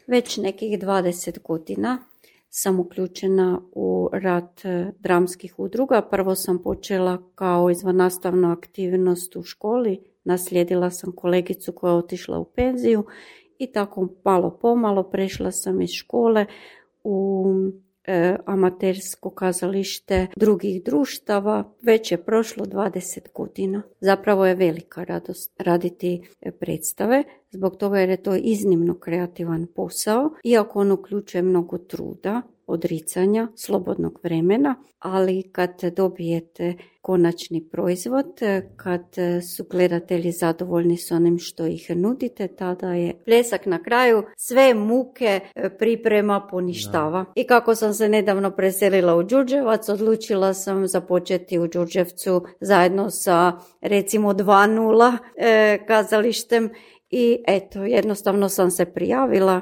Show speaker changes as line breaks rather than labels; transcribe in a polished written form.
Već nekih 20 godina sam uključena u rad dramskih udruga. Prvo sam počela kao izvannastavna aktivnost u školi, naslijedila sam kolegicu koja je otišla u penziju i tako malo pomalo prešla sam iz škole u amatersko kazalište drugih društava. Već je prošlo 20 godina. Zapravo je velika radost raditi predstave, zbog toga jer je to iznimno kreativan posao, iako on uključuje mnogo truda, odricanja, slobodnog vremena, ali kad dobijete konačni proizvod, kad su gledatelji zadovoljni s onim što ih nudite, tada je pljesak na kraju, sve muke priprema poništava. I kako sam se nedavno preselila u Đurđevac, odlučila sam započeti u Đurđevcu zajedno sa recimo 2.0 kazalištem i eto, jednostavno sam se prijavila